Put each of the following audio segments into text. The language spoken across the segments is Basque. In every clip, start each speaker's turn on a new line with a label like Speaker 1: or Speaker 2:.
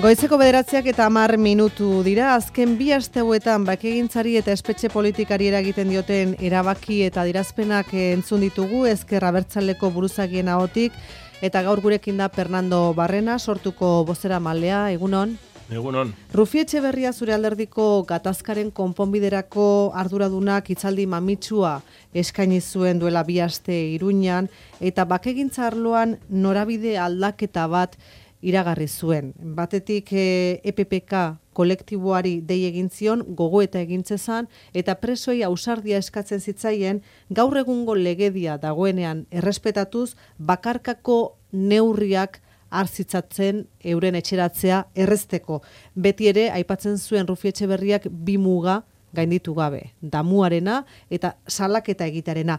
Speaker 1: Goizeko 9:10 dira, azken 2 aste hauetan bakegintzari eta espetxe politikari eragiten dioten erabaki eta adierazpenak entzun ditugu Ezker Abertzaleko buruzagien ahotik, eta gaur gurekin da Fernando Barrena, sortuko bozeramalea. Egunon.
Speaker 2: Egunon.
Speaker 1: Rufi Etxeberria zure alderdiko gatazkaren konponbiderako arduradunak hitzaldi mamitsua eskaini zuen duela 2 aste Iruñan, eta bakegintza arloan norabide aldaketa bat iragarri zuen. Batetik EPPK kolektiboari dei egin zion, gogoeta egin zezan, eta presoei ausardia eskatzen zitzaien gaur egungo legedia dagoenean errespetatuz bakarkako neurriak hartzitzatzen euren etxeratzea errezteko. Beti ere, aipatzen zuen Rufi Etxeberriak 2 muga gainditu gabe, damuarena eta salaketa egitearena.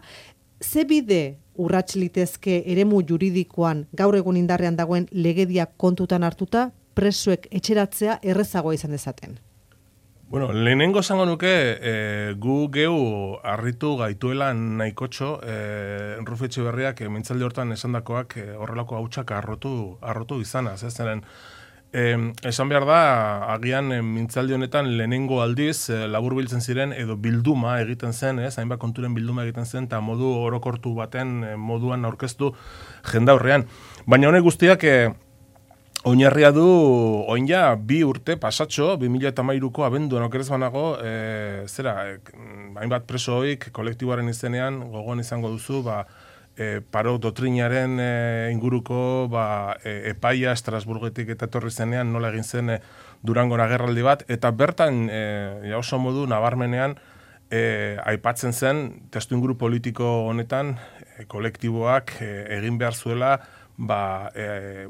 Speaker 1: Ze bide urrats litezke eremu juridikoan gaur egun indarrean dagoen legedia kontutan hartuta presoek etxeratzea errezagoa izan dezaten?
Speaker 2: Bueno, lehenengo esango nuke gu geu harritu gaituela nahikotxo Rufi Etxeberriak mintzaldi hortan esandakoak horrelako hautsak harrotu izanaz. Esan behar da, agian mintzaldi honetan lehenengo aldiz laburbiltzen ziren edo bilduma egiten zen, hainbat konturen bilduma egiten zen, eta modu orokortu baten moduan aurkeztu jendaurrean. Baina honek guztiak oinarria du oin ja 2 urte pasatxo, 2013ko abenduan okerez banago, hainbat presoik kolektiboaren izenean, gogoan izango duzu, paro doktrinaren inguruko epaia Estrasburgetik eta etorri zenean nola egin zen Durangon agerraldi bat, eta bertan oso modu nabarmenean aipatzen zen testu inguru politiko honetan kolektiboak egin behar zuela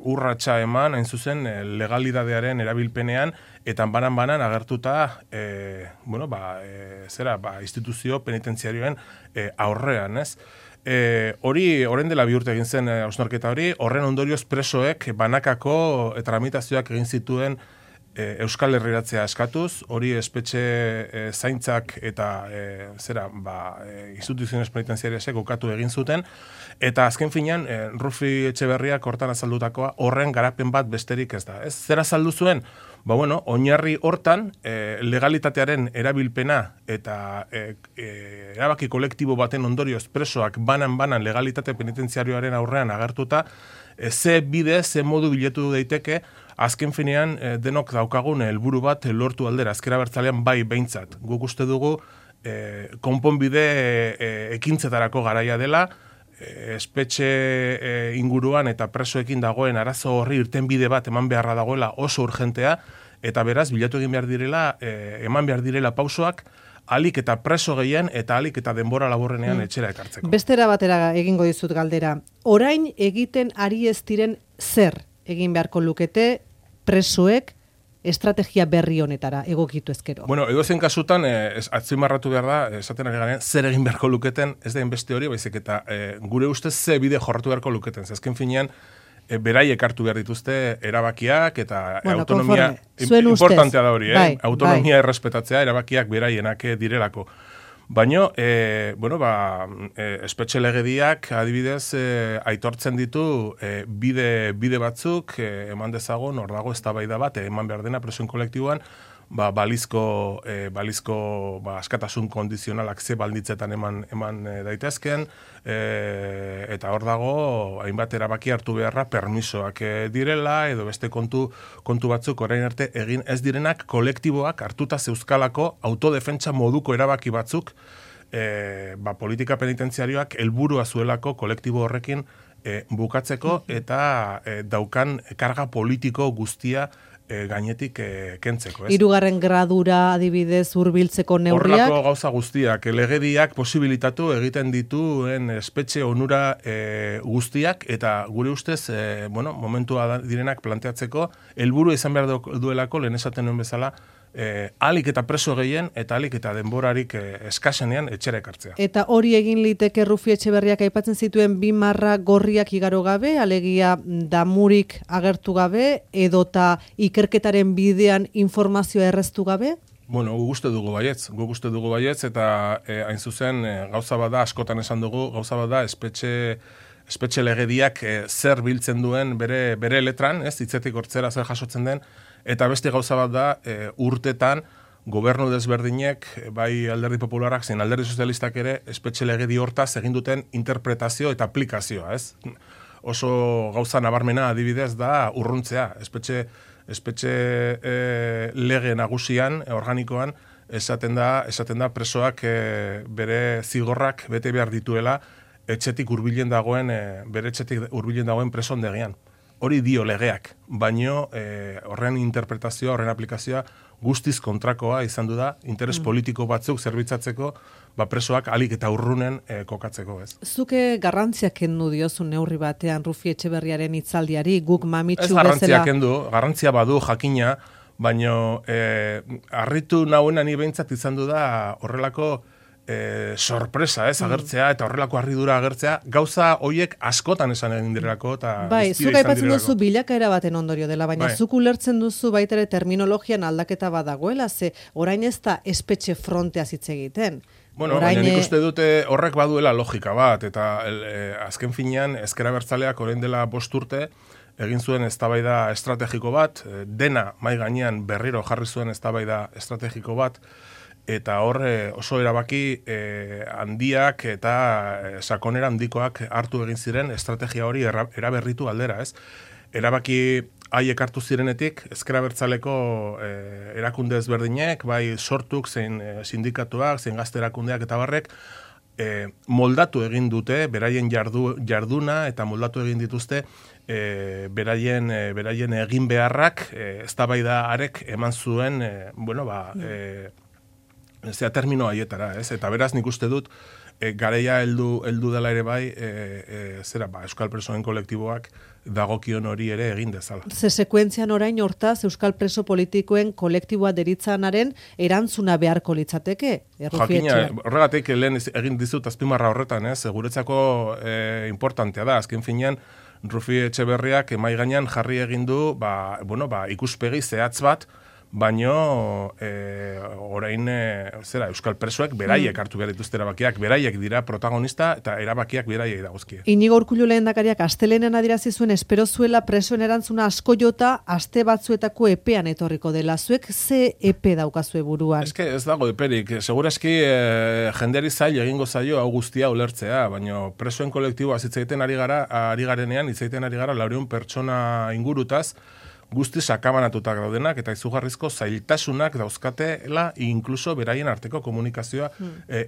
Speaker 2: urratsa eman, hain zuzen legalidadearen erabilpenean, eta banan agertuta instituzio penitentziarioen aurrean, ez? Hori, orain dela 2 urte egin zen hausnarketa hori, horren ondorioz presoek banakako tramitazioak egin zituen Euskal Herriratzea eskatuz, hori espetxe zaintzak eta instituziones penitentziariasek ukatu egin zuten, eta azken finean Rufi Etxeberriak hortan azaldutakoa horren garapen bat besterik ez da. Zer azaldu zuen? Oinarri hortan legalitatearen erabilpena eta erabaki kolektibo baten ondorioz presoak banan legalitate penitentziarioaren aurrean agertuta, ze bide, ze modu bilatu daiteke, azken finean denok daukagun helburu bat lortu aldera, Ezker Abertzalean bai behintzat. Guk uste dugu konponbide ekintzetarako garaia dela, espetxe inguruan eta presoekin dagoen arazo horri irtenbide bat eman beharra dagoela oso urgentea, eta beraz bilatu egin behar direla, eman behar direla pausoak, alik eta preso gehien eta alik eta denbora laburrenean etxera ekartzeko.
Speaker 1: Bestera batera egingo dizut galdera. Orain egiten ari ez diren zer egin beharko lukete presoek estrategia berri honetara egokitu ezkero?
Speaker 2: Bueno, edozein kasutan, atzimarratu behar da, esaten ari garen, zer egin beharko luketen, ez da beste hori, baizik eta gure ustez ze bide jorratu beharko luketen. Azken finean, beraiek hartu behar dituzte erabakiak eta autonomia importantea da hori, autonomia errespetatzea erabakiak beraienak direlako. Baina, espetxe legediak adibidez aitortzen ditu bide batzuk eman dezagon, hor dago eztabaida bat eman behar dena presoen kolektiboan, balizko askatasun kondizionalak ze baldintzetan eman daitezken, eta hor dago hainbat erabaki hartu beharra permisoak direla, edo beste kontu batzuk orain arte egin ez direnak kolektiboak hartuta zeuzkalako autodefentsa moduko erabaki batzuk, politika penitentziarioak helburua zuelako kolektibo horrekin bukatzeko eta daukan karga politiko guztia gainetik kentzeko.
Speaker 1: 3. gradura adibidez hurbiltzeko neurriak?
Speaker 2: Horrelako gauza guztiak, legediak posibilitatu egiten dituen espetxe onura guztiak, eta gure ustez, momentua direnak planteatzeko, helburu izan behar duelako, lehen esaten nuen bezala, alik eta preso gehien eta alik eta denborarik eskasenean etxera ekartzea.
Speaker 1: Eta hori egin liteke Rufi Etxeberriak aipatzen zituen 2 marra gorriak igaro gabe, alegia damurik agertu gabe, edota ikerketaren bidean informazioa erreztu gabe?
Speaker 2: Bueno, guk uste dugu baietz, eta hain zuzen gauza bada, askotan esan dugu, gauza bada espetxe espetxe legediak zer biltzen duen bere letran, ez, hitzetik hortzera zer jasotzen den, eta beste gauza bat da, urtetan, gobernu desberdinek, bai alderdi popularak, zein alderdi sozialistak ere, espetxe legedi hortaz egin duten interpretazio eta aplikazioa, ez? Oso gauza nabarmena adibidez da urruntzea, espetxe lege nagusian, organikoan, esaten da presoak bere zigorrak bete behar dituela etxetik hurbilen dagoen, bere etxetik hurbilen dagoen preso ondegian. Hori dio legeak, baino horren interpretazioa, horren aplikazioa guztiz kontrakoa izan du da, interes politiko batzuk zerbitzatzeko, presoak alik eta urrunen kokatzeko, ez.
Speaker 1: Zuke garrantziak kendu diozu neurri batean Rufi Etxeberriaren hitzaldiari, guk mamitsu bezala...
Speaker 2: Ez garrantzia kendu, garrantzia badu jakina, baino harritu nahuena ni behintzat izan du da horrelako sorpresa, ez, agertzea, eta horrelako harridura agertzea, gauza hoiek askotan esan egin direlako, eta
Speaker 1: bai, zuk aipatzen duzu bilakaera baten ondorio dela, baina zuk ulertzen duzu baita ere terminologian aldaketa badagoela, ze orain ez da espetxe frontea hitz egiten.
Speaker 2: Bueno, baina nik uste dute horrek baduela logika bat, eta azken finean ezker abertzaleak orain dela 5 urte, egin zuen eztabaida estrategiko bat, dena mai gainean berriro jarri zuen eztabaida estrategiko bat, eta hor oso erabaki handiak eta sakonera handikoak hartu egin ziren estrategia hori eraberritu aldera, ez? Erabaki haiek hartu zirenetik, ezker abertzaleko erakunde ezberdinek, bai sortuk, zein sindikatuak, zein gazte erakundeak eta barrek, moldatu egin dute, beraien jarduna eta moldatu egin dituzte beraien egin beharrak, eztabaida harek eman zuen, termino haietara, ez? Eta beraz nik uste dut, garaia heldu dela ere bai, Euskal Presoen kolektiboak dagokion hori ere egin dezala.
Speaker 1: Ze sekuentzian orain hortaz Euskal Preso politikoen kolektiboa deritzanaren erantzuna beharko litzateke?
Speaker 2: Jakina, horregatik lehen egin dizut azpimarra horretan, ez? Guretzako importantea da, azken finean, Rufi Etxeberriak mai gainean jarri egin du, ikuspegi zehatz bat, baino orain Euskal Presoek beraiek hartu behar dituzte erabakiak, beraiek dira protagonista eta erabakiak beraiek dagozkie.
Speaker 1: Inigo Urkullu lehendakariak astelenen adierazi zuen espero zuela presoen erantzuna asko jota aste batzuetako epean etorriko dela. Zuek ze epe daukazue buruan?
Speaker 2: Ez dago eperik, segurazki jendeari zail egingo zaio hau guztia ulertzea, baino presoen kolektiboa hitz egiten ari garenean, hitz egiten ari gara 400 pertsona ingurutaz, guzti sakabanatutak daudenak eta izugarrizko zailtasunak dauzkatela inkluso beraien arteko komunikazioa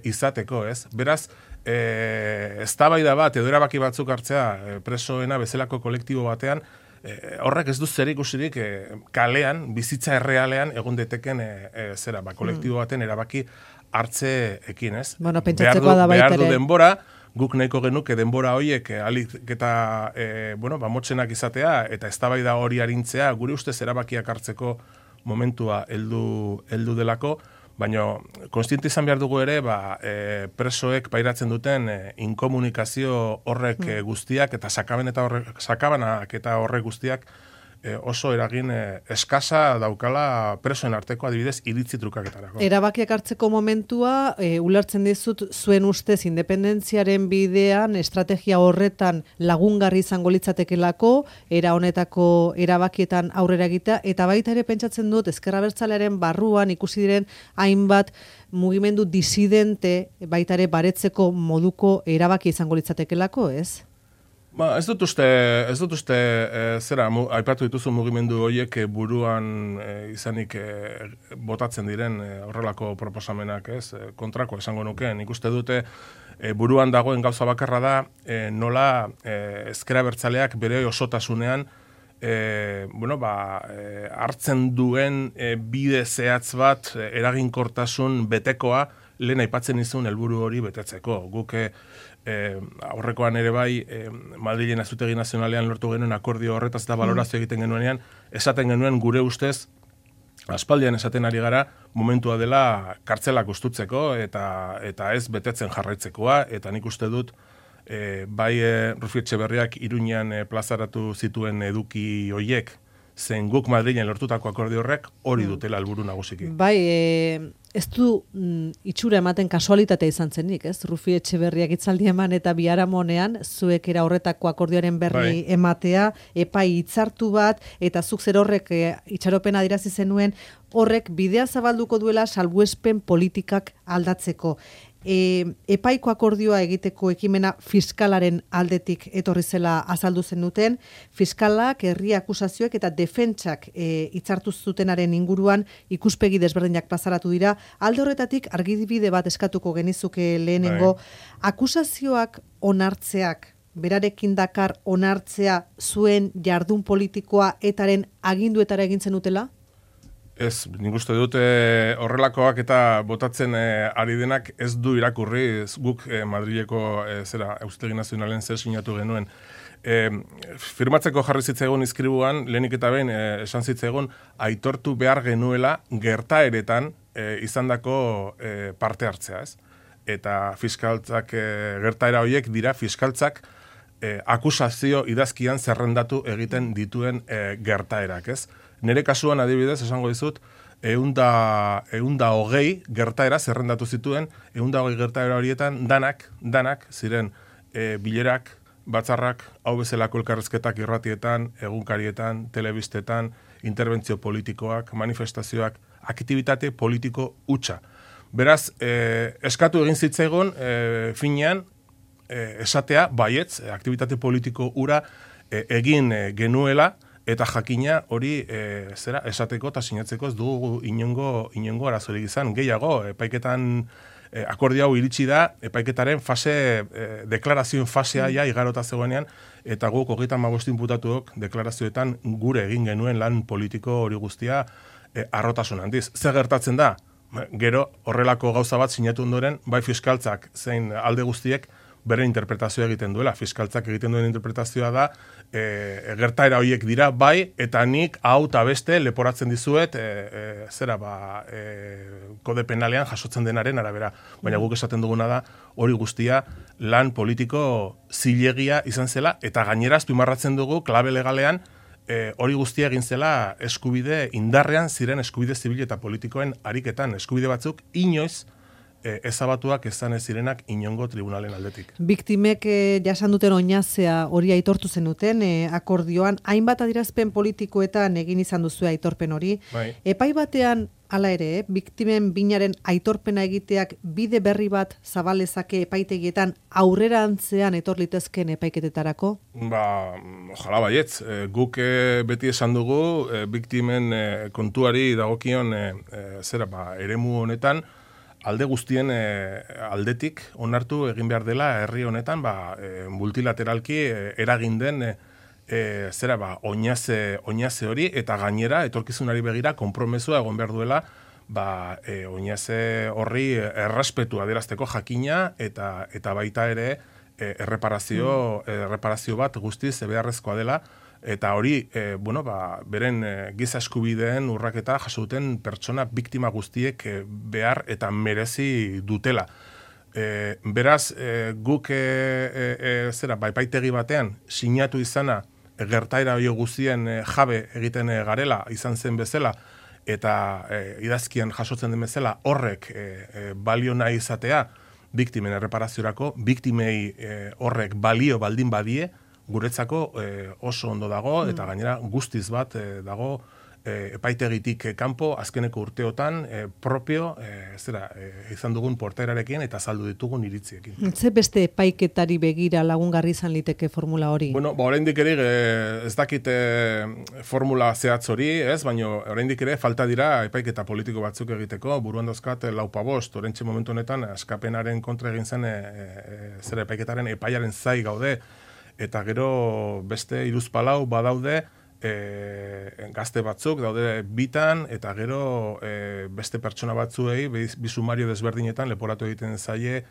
Speaker 2: izateko, ez? Beraz, eztabaida bat edo erabaki batzuk hartzea presoena bezalako kolektibo batean, horrek ez du zerikusirik kalean, bizitza errealean egon deteken kolektibo baten erabaki hartzeekin, ez?
Speaker 1: Bueno, pentsatzekoa da baita ere.
Speaker 2: Behar du denbora, guk nahiko genuke denbora horiek alik eta motzenak izatea eta eztabaida hori arintzea gure ustez erabakiak hartzeko momentua heldu delako, baina kontziente izan behar dugu ere presoek pairatzen duten inkomunikazio horrek guztiak eta sakabanak eta horrek guztiak oso eragin eskasa daukala presoen arteko adibidez iritzi trukaketarako.
Speaker 1: Erabakiak hartzeko momentua, ulertzen dizut zuen ustez independentziaren bidean, estrategia horretan lagungarri izango litzatekelako, era honetako erabakietan aurrera egitea, eta baita ere pentsatzen dut ezker abertzalearen barruan ikusi diren hainbat mugimendu disidente baita ere baretzeko moduko erabaki izango litzatekelako, ez?
Speaker 2: Ez dut uste aipatu dituzu mugimendu horiek buruan izanik botatzen diren horrelako proposamenak, ez? Kontrako esango nuke, nik uste dute buruan dagoen gauza bakarra da nola ezker abertzaleak bere osotasunean hartzen duen bide zehatz bat eraginkortasun betekoa lehen aipatzen izun helburu hori betetzeko. Guk aurrekoan ere bai Madrilen Auzitegi Nazionalean lortu genuen akordio horretaz eta balorazio egiten genuenean, esaten genuen gure ustez, aspaldian esaten ari gara, momentua dela kartzelak ustutzeko eta ez betetzen jarraitzekoa, eta nik uste dut bai Rufi Etxeberriak Iruñean plazaratu zituen eduki hoiek, zen guk Madrilen lortutako akordio horrek hori dutela helburu nagusiki.
Speaker 1: Bai, ez du itxura ematen kasualitatea izan zenik, ez? Rufi Etxeberriak hitzaldi eman eta biharamonean zuek era horretako akordioaren berri ematea, epai hitzartu bat, eta zuk zer horrek itxaropena adirazi zenuen, horrek bidea zabalduko duela salbuespen politikak aldatzeko. Epaiko akordioa egiteko ekimena fiskalaren aldetik etorri zela azaldu zenuten, fiskalak, herri akusazioek eta defentsak hitzartu zutenaren inguruan ikuspegi desberdinak plazaratu dira. Alde horretatik argibide bat eskatuko genizuke lehenengo, akusazioak onartzeak, berarekin dakar onartzea zuen jardun politikoa etaren aginduetara egin zenutela?
Speaker 2: Ez, nik uste dut horrelakoak eta botatzen ari denak ez du irakurri, guk Madrileko Auzitegi Nazionalen zer sinatu genuen. Firmatzeko jarri zitzaigun izkribuan, lehenik eta behin esan zitzaigun, aitortu behar genuela gertaeretan izandako parte hartzea, ez? Eta fiskaltzak, gertaera horiek dira fiskaltzak akusazio idazkian zerrendatu egiten dituen gertaerak, ez? Nere kasuan adibidez, esango dizut, 120 gertaera zerrendatu zituen, 120 gertaera horietan danak ziren bilerak, batzarrak, hau bezalako elkarrezketak irratietan, egunkarietan, telebistetan, interbentzio politikoak, manifestazioak, aktibitate politiko hutsa. Beraz, eskatu egin zitzaigun, finean, esatea, baietz, aktibitate politiko hura egin genuela, eta jakina hori esateko eta sinatzeko ez dugu inongo arazorik izan. Gehiago, epaiketan akordio hau iritsi da, epaiketaren deklarazioen fasea igarota zegoenean, eta guk 35 inputatuok deklarazioetan gure egin genuen lan politiko hori guztia harrotasun handiz. Zer gertatzen da? Gero horrelako gauza bat sinatu ondoren, bai fiskaltzak zein alde guztiek bere interpretazioa egiten duela. Fiskaltzak egiten duen interpretazioa da, gertaera horiek dira, bai, eta nik hau eta beste leporatzen dizuet, kode penalean jasotzen denaren arabera. Baina guk esaten duguna da, hori guztia lan politiko zilegia izan zela, eta gainera azpimarratzen dugu, klabe legalean, hori guztia egin zela eskubide indarrean ziren eskubide zibil eta politikoen ariketan. Eskubide batzuk inoiz ezabatuak ezan ez zirenak inongo tribunalen aldetik.
Speaker 1: Biktimek jasan duten oinazea hori aitortu zenuten akordioan, hainbat adierazpen politikoetan egin izan duzu aitorpen hori.
Speaker 2: Bai.
Speaker 1: Epai batean, hala ere, biktimen binaren aitorpena egiteak bide berri bat zabalezake epaitegietan aurrerantzean etor litezken epaiketetarako?
Speaker 2: Ojala baietz. Guk beti esan dugu, biktimen kontuari dagokion eremu honetan, alde guztien aldetik onartu egin behar dela herri honetan multilateralki eragin den oinaze hori eta gainera etorkizunari begira konpromesua egon behar duela oinaze horri errespetu adierazteko jakina eta baita ere erreparazio bat guztiz beharrezkoa dela. Eta hori, beren giza eskubideen urraketa jasuten pertsona biktima guztiek behar eta merezi dutela. Beraz, guk epaitegi batean sinatu izana gertaera hori guztien jabe egiten garela izan zen bezala eta idazkian jasotzen den bezala horrek balio nahi izatea biktimen erreparaziorako, biktimei horrek balio baldin badie, guretzako oso ondo dago eta gainera guztiz bat dago epaitegitik kanpo azkeneko urteotan propio izan dugun portaerarekin eta saldu ditugun iritziekin.
Speaker 1: Ze beste epaiketari begira lagungarri izan liteke formula hori?
Speaker 2: Oraindik ere ez dakit formula zehatz hori, baina oraindik ere falta dira epaiketa politiko batzuk egiteko, buruan dauzkat 4-5, orentxe momentu honetan askapenaren kontra egin zen epaiketaren epaiaren zai gaude, eta gero beste 3-4 badaude gazte batzuk daude bitan, eta gero beste pertsona batzuei bi sumario desberdinetan leporatu egiten zaie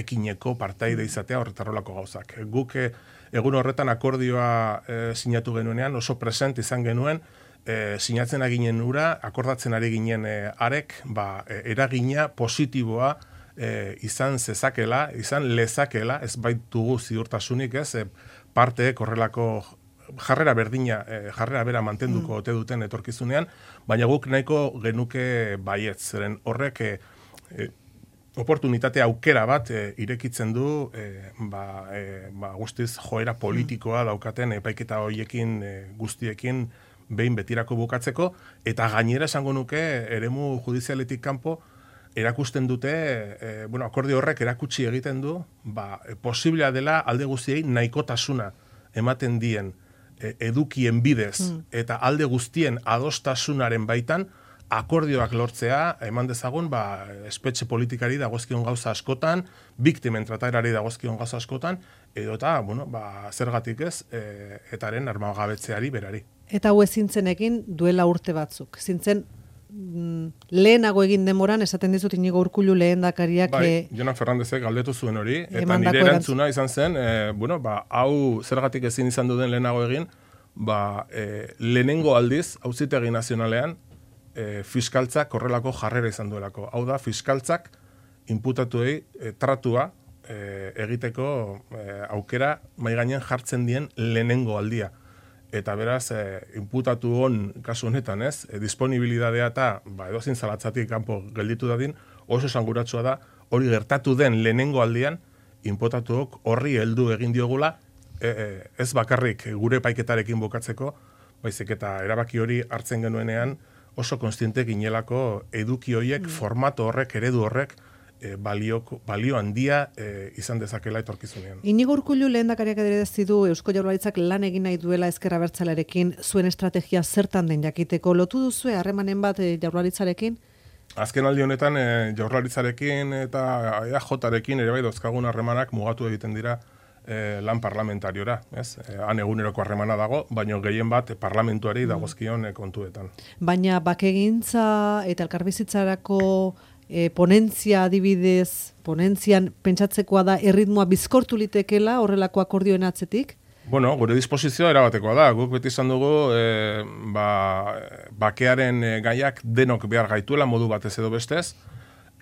Speaker 2: ekineko partaide izatea horretarrolako gauzak. Guk egun horretan akordioa sinatu genuenean oso present izan genuen, sinatzen aginen ura, akordatzen ari ginen arek, eragina positiboa izan zezakela, izan lezakela, ez baitugu ziurtasunik, parteek horrelako jarrera berdina, jarrera bera mantenduko ote duten etorkizunean, baina guk nahiko genuke baietz, zeren horrek oportunitate aukera bat irekitzen du guztiz joera politikoa daukaten epaiketa hoiekin guztiekin behin betirako bukatzeko, eta gainera esango nuke eremu judizialetik kanpo erakusten dute, akordio horrek erakutsi egiten du, posiblea dela alde guztiei nahikotasuna ematen dien edukien bidez eta alde guztien adostasunaren baitan akordioak lortzea, eman dezagun, espetxe politikari dagozkion gauza askotan, biktimen trataerari dagozkion gauza askotan, edo eta, zergatik ez, etaren armagabetzeari berari.
Speaker 1: Eta hau ezintzen duela urte batzuk. Zintzen lehenago egin demoran, esaten dizut Inigo Urkullu lehendakariak...
Speaker 2: Jonan Fernandezek galdetu zuen hori, eta nire erantzuna izan zen, hau zergatik ezin izan duden lehenago egin, lehenengo aldiz, Auzitegi Nazionalean, fiskaltzak horrelako jarrera izan duelako. Hau da, fiskaltzak inputatuei tratua egiteko aukera mai gainean jartzen dien lehenengo aldia. Eta beraz, inputatu hon kasu honetan, disponibilidadea eta edozin zalatzatik kanpo gelditu dadin, oso esanguratsua da, hori gertatu den lehenengo aldian, inputatuok horri heldu egin diogula, ez bakarrik gure paiketarekin bukatzeko, baizik eta erabaki hori hartzen genuenean, oso konstiente ginelako eduki horiek, formato horrek, eredu horrek, balio handia izan dezakela etorkizunean.
Speaker 1: Inigo Urkullu lehendakariak adierazi du Eusko Jaurlaritzak lan egin nahi duela Ezker Abertzalearekin, zuen estrategia zertan den jakiteko. Lotu duzue harremanen bat Jaurlaritzarekin?
Speaker 2: Azken aldi honetan Jaurlaritzarekin eta EAJarekin ere bai dauzkagun harremanak mugatu egiten dira lan parlamentariora, ez? Han eguneroko harremana dago, baina gehien bat parlamentuari dagozkion kontuetan. Baina
Speaker 1: bakegintza eta elkarbizitzarako ponentzia adibidez, ponentzian pentsatzekoa da erritmoa bizkortu litekela horrelako akordioen atzetik?
Speaker 2: Gure disposizioa erabatekoa da. Guk beti izan dugu bakearen gaiak denok behar gaituela modu batez edo bestez,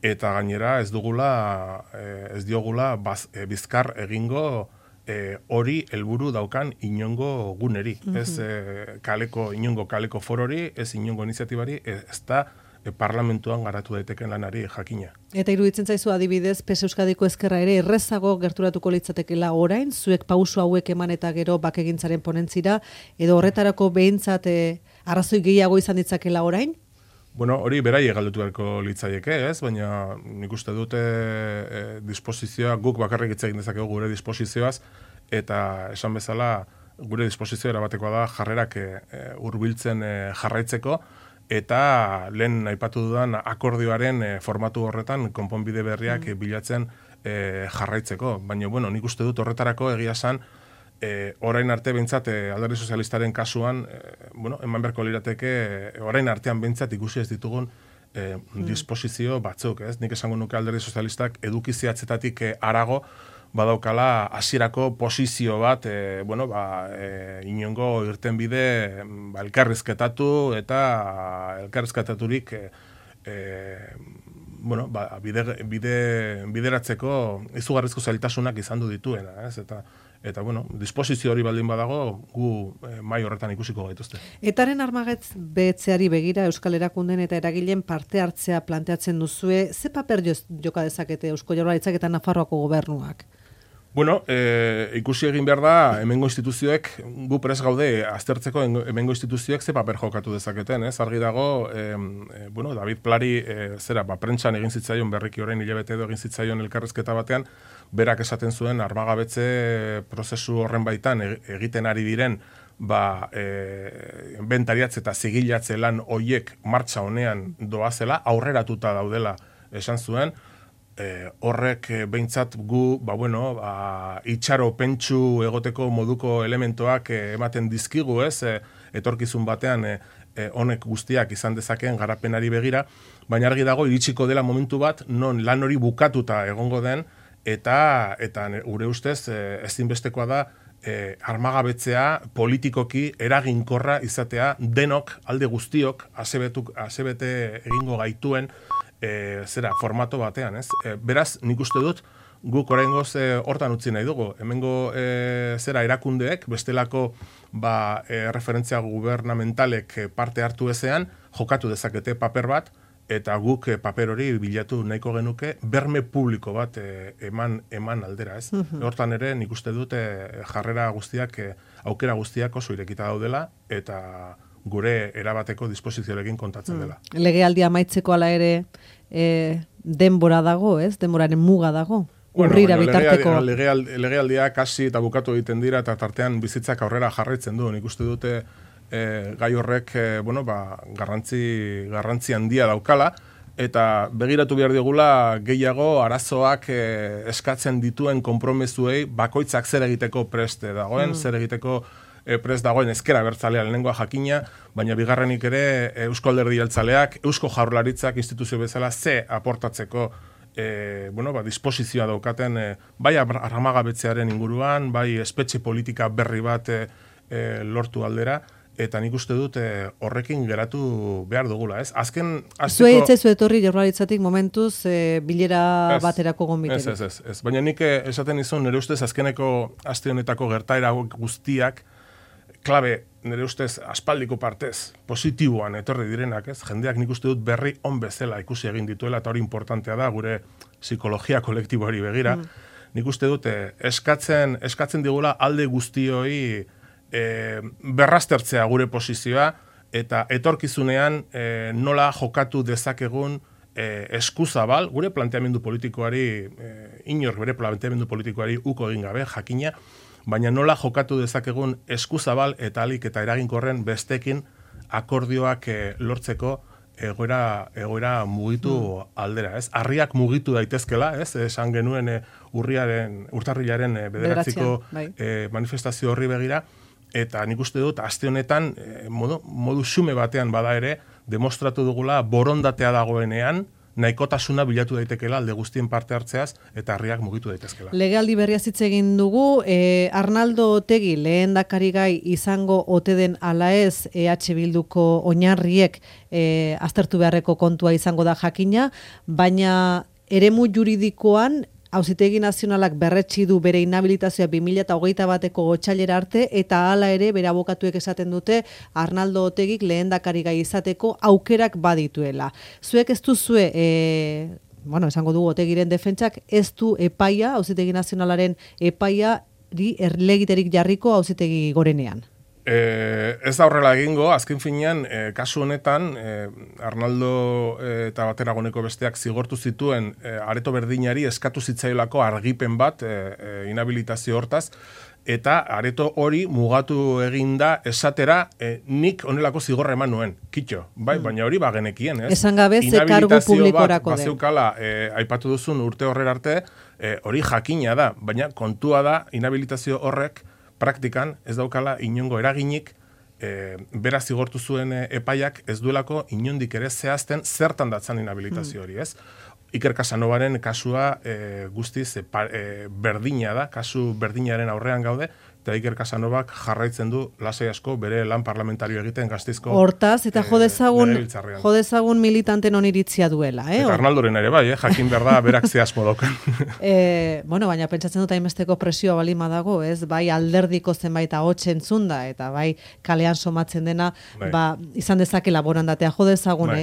Speaker 2: eta gainera ez diogula bizkar egingo hori helburu daukan inongo guneri. Ez inongo kaleko forori, ez inongo iniziatibari, ez da parlamentuan garatu daiteken lanari jakina.
Speaker 1: Eta iruditzen zaizu adibidez, PES Euskadiko ezkerra ere errezago gerturatuko litzatekeela orain, zuek pauso hauek eman eta gero bakegintzaren ponentzira, edo horretarako behintzat arrazoi gehiago izan ditzakela orain?
Speaker 2: Hori beraiek galdetu beharko litzaieke, ez? Baina nik uste dute disposizioa, guk bakarrik hitz egin dezakegu gure disposizioaz, eta esan bezala gure disposizioa erabatekoa da jarrerak hurbiltzen jarraitzeko, eta lehen aipatu dudan akordioaren formatu horretan konponbide berriak bilatzen jarraitzeko. Baina, nik uste dut horretarako egia esan, orain arte behintzat Alderdi Sozialistaren kasuan, eman beharko lirateke, orain artean behintzat ikusi ez ditugun disposizio batzuk, ez? Nik esango nuke Alderdi Sozialistak eduki zehatzetatik harago, badaukala hasierako posizio bat, inongo irtenbide elkarrizketatu eta elkarrizketaturik bideratzeko izugarrizko zailtasunak izan du dituena, ez? Eta disposizio hori baldin badago, gu mai horretan ikusiko gaituzte.
Speaker 1: Etaren armagabetzeari begira Euskal Erakunden eta eragileen parte hartzea planteatzen duzue, ze paper joka dezakete Eusko Jaurlaritzak eta Nafarroako gobernuak?
Speaker 2: Ikusi egin behar da, hemengo instituzioek, gu prest gaude aztertzeko hemengo instituzioek ze paper jokatu dezaketen, ez? Argi dago, David Plari, prentsan egin zitzaion berriki orain hilabete edo egin zitzaion elkarrizketa batean, berak esaten zuen armagabetze prozesu horren baitan egiten ari diren, inventariatze eta zigilatze lan hoiek martxa honean doazela, aurreratuta daudela esan zuen, horrek behintzat gu, itxaro pentsu egoteko moduko elementoak ematen dizkigu, ez? Etorkizun batean honek guztiak izan dezakeen garapenari begira, baina argi dago iritsiko dela momentu bat, non lan hori bukatuta egongo den, eta gure ustez ezinbestekoa da armagabetzea politikoki eraginkorra izatea denok, alde guztiok, asebete egingo gaituen formato batean, ez? Beraz, nik uste dut, guk oraingoz hortan utzi nahi dugu. Hemengo zera erakundeek, bestelako referentzia gubernamentalek parte hartu ezean, jokatu dezakete paper bat, eta guk paper hori bilatu nahiko genuke berme publiko bat eman aldera, ez? Hortan ere nik uste dut jarrera guztiak, aukera guztiak oso irekita daudela, eta gure erabateko disposizioarekin kontatzen dela.
Speaker 1: Legealdia amaitzeko ala ere denbora dago, ez? Denboraren muga dago? Urrira bitarteko.
Speaker 2: Legealdia kasi eta bukatu egiten dira, eta tartean bizitzak aurrera jarraitzen du. Nik uste dute gai horrek garrantzi handia daukala, eta begiratu behar digula gehiago arazoak eskatzen dituen konpromezuei bakoitzak zer egiteko prest dagoen, zer egiteko prest dagoen ezkera abertzalea lehenengoa jakina, baina bigarrenik ere Eusko Alderdi Jeltzaleak, Eusko Jaurlaritzak instituzio bezala ze aportatzeko disposizioa daukaten bai armagabetzearen inguruan, bai espetxe politika berri bat lortu aldera, eta nik uste dut horrekin geratu behar dugula, ez? Azken...
Speaker 1: Zue hitzezu etorri Jaurlaritzatik momentuz bilera baterako gonbiterik.
Speaker 2: Ez. Baina nik esaten izun, nire ustez azkeneko aste honetako gertaera guztiak, klabe, nire ustez aspaldiko partez, positiboan etorri direnak, ez? Jendeak nik uste dut berri on bezala ikusi egin dituela, eta hori importantea da, gure psikologia kolektiboari begira. Nik uste dut eskatzen digula alde guztioi berraztertzea gure posizioa, eta etorkizunean nola jokatu dezakegun eskuzabal, gure planteamendu politikoari, inork bere planteamendu politikoari uko egin gabe, jakina, baina nola jokatu dezakegun eskuzabal eta alik eta eraginkorren bestekin akordioak lortzeko egoera mugitu aldera, ez? Harriak mugitu daitezkela, ez? Esan genuen urtarrilaren 9 manifestazio horri begira, eta nik uste dut, aste honetan, modu xume batean bada ere, demostratu dugula borondatea dagoenean, nahikotasuna bilatu daitekela alde guztien parte hartzeaz, eta harriak mugitu daitezkela.
Speaker 1: Legealdi berria hitz egin dugu, Arnaldo Otegi lehendakari gai izango ote den ala ez EH Bilduko oinarriek aztertu beharreko kontua izango da jakina, baina eremu juridikoan Auzitegi Nazionalak berretsi du bere inhabilitazioa 2021ko otsailera arte, eta hala ere bere abokatuek esaten dute Arnaldo Otegik lehendakari gai izateko aukerak badituela. Zuek ez duzue, esango dugu Otegiren defentsak, ez du epaia, Auzitegi Nazionalaren epaia erlegiterik jarriko Auzitegi Gorenean.
Speaker 2: Ez da horrela egingo, azken finean, kasu honetan, Arnaldo eta Bateragoneko besteak zigortu zituen areto berdinari eskatu zitzaiolako argipen bat inhabilitazio hortaz, eta areto hori mugatu eginda esatera nik honelako zigorra eman nuen, kitxo, baina hori bagenekien, ez?
Speaker 1: Esan gabe ze kargu publikorako den.
Speaker 2: Bazeukala, aipatu duzun urte horrera arte, hori jakina da, baina kontua da inhabilitazio horrek praktikan ez daukala inongo eraginik beraz zigortu zuen epaiak ez duelako inondik ere zehazten zertan datzan inhabilitazio hori, ez? Iker Casanovaren kasua guztiz berdina da, kasu berdinaren aurrean gaude, eta Iker Casanovak jarraitzen du lasai asko bere lan parlamentario egiten Gasteizko
Speaker 1: hortaz, eta jodezagun militanten oniritzia duela.
Speaker 2: Eta Arnaldoren ere bai, jakin behar da berak zehazmo daukan.
Speaker 1: Baina pentsatzen dut hainbesteko presioa balima dago, ez? Bai alderdiko zenbait ahots entzunda, eta bai kalean somatzen dena, izan dezakela borondatea jodezagun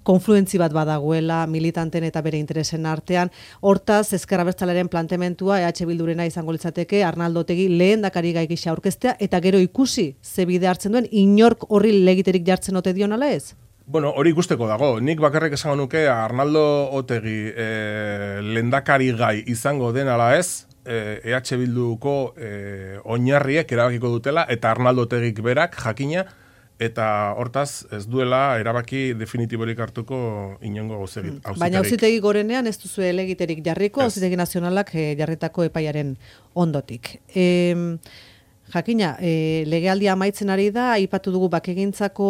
Speaker 1: konfluentzi bat badagoela militanten eta bere interesen artean. Hortaz, Ezker Abertzalearen planteamentua EH Bildurena izango litzateke Arnaldo Otegi lehendakari gai gisa aurkeztea, eta gero ikusi ze bide hartzen duen, inork horri legiterik jartzen ote dion ala ez?
Speaker 2: Bueno, hori ikusteko dago. Nik bakarrik esango nuke Arnaldo Otegi lehendakari gai izango den ala ez, EH Bilduko oinarriek erabakiko dutela, eta Arnaldo Otegik berak jakina, eta hortaz ez duela erabaki definitiborik hartuko inongo gauzegit.
Speaker 1: Baina Auzitegi Gorenean ez duzu elegiterik jarriko, Auzitegi Nazionalak jarritako epaiaren ondotik. Jakina, legealdia amaitzen ari da, aipatu dugu bakegintzako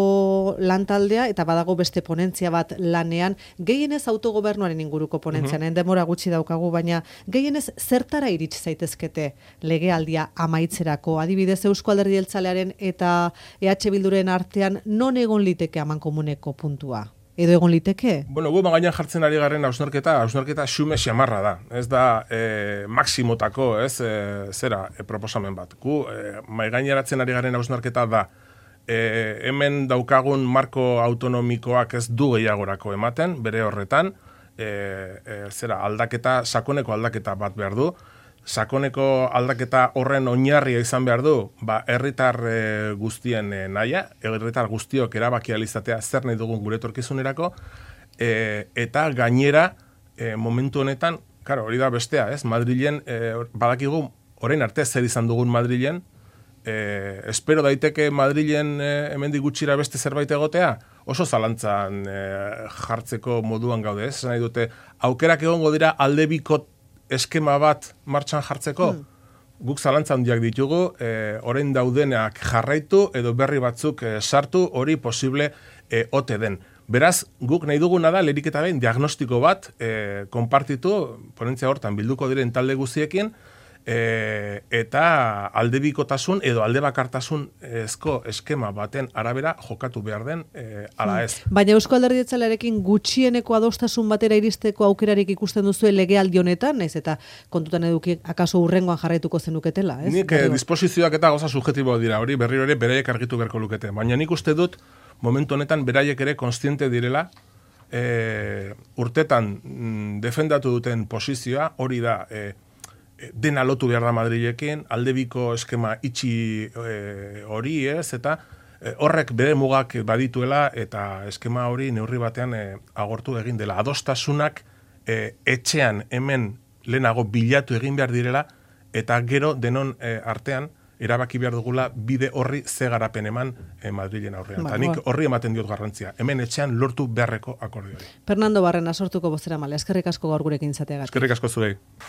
Speaker 1: lantaldea, eta badago beste ponentzia bat lanean, gehienez autogobernuaren inguruko ponentzian, demora gutxi daukagu, baina gehienez zertara iritsi zaitezkete legealdia amaitzerako, adibidez Eusko Alderdi Jeltzalearen eta EH Bilduren artean non egon liteke amankomuneko puntua? edo egon liteke?
Speaker 2: Bueno, gu gainean jartzen ari garen hausnarketa xume xamarra da. Ez da maksimotako, proposamen bat. Gu mai gaineratzen ari garen hausnarketa da hemen daukagun marko autonomikoak ez du gehiagorako ematen, bere horretan, sakoneko aldaketa bat behar du. Sakoneko aldaketa horren oinarria izan behar du, herritar guztien nahia, herritar guztiok erabaki alizatea zer nahi dugun gure etorkizunerako, eta gainera, momentu honetan, hori da bestea, Madrilen, badakigu, orain arte zer izan dugun Madrilen, espero daiteke Madrilen hemendik gutxira beste zerbait egotea, oso zalantzan jartzeko moduan gaude, nahi dute, aukerak egongo dira aldebiko eskema bat martxan jartzeko, guk zalantza handiak ditugu, orain daudenak jarraitu edo berri batzuk sartu, hori posible ote den. Beraz, guk nahi duguna da, lehenik eta behin, diagnostiko bat konpartitu, ponentzia hortan bilduko diren talde guztiekin, eta aldebikotasun edo aldebakartasun ezko eskema baten arabera jokatu behar den ala ez.
Speaker 1: Baina Eusko Alderdi Jeltzalearekin gutxieneko adostasun batera iristeko aukerarik ikusten duzu legealdi honetan, naiz eta kontutan eduki akaso hurrengoan jarraituko zenuketela, ez?
Speaker 2: Nik disposizioak eta gauza subjektibo dira, hori berriro ere beraiek argitu beharko lukete. Baina nik uste dut momentu honetan beraiek ere kontziente direla urtetan defendatu duten posizioa, hori da dena lotu behar da Madrilekin, aldebiko eskema itxi hori eta horrek bere mugak badituela eta eskema hori neurri batean agortu egin dela. Adostasunak etxean hemen lehenago bilatu egin behar direla eta gero denon artean erabaki behar dugula bide horri ze garapen eman Madrilen aurrean. Eta nik horri ematen diot garrantzia. Hemen etxean lortu beharreko akordioi.
Speaker 1: Fernando Barrena sortuko bozeramaile, eskerrik asko gaur gurekin izateagatik.
Speaker 2: Eskerrik asko zuei.